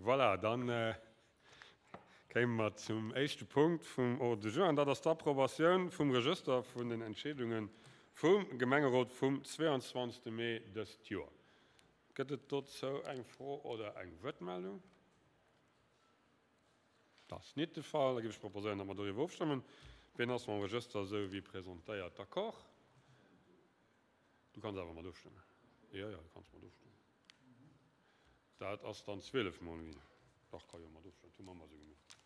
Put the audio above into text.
Voilà, dann kéime mer zum éischte Punkt vum Ordre du jour, an dat ass d'Approbatioun vum Regëster vun den Entscheedunge vum Gemengerot vum 22. Mee dëst Joer. Gëtt et dozou eng Fro oder eng Wuertmeldung? Dat ass nit de Fall. Da géif ech proposéieren, datt mer doriwwer ofstëmmen. Wien ass mam Regëster esou wéi presentéiert d'accord? Du kanns awer mat ofstëmmen. Jo, jo, du kanns mat ofstëmmen. Dat ass dann 12 mol ginn. Dach, ka jo mat ofstëmmen. Dat hu mer ëmmer esou gemaach.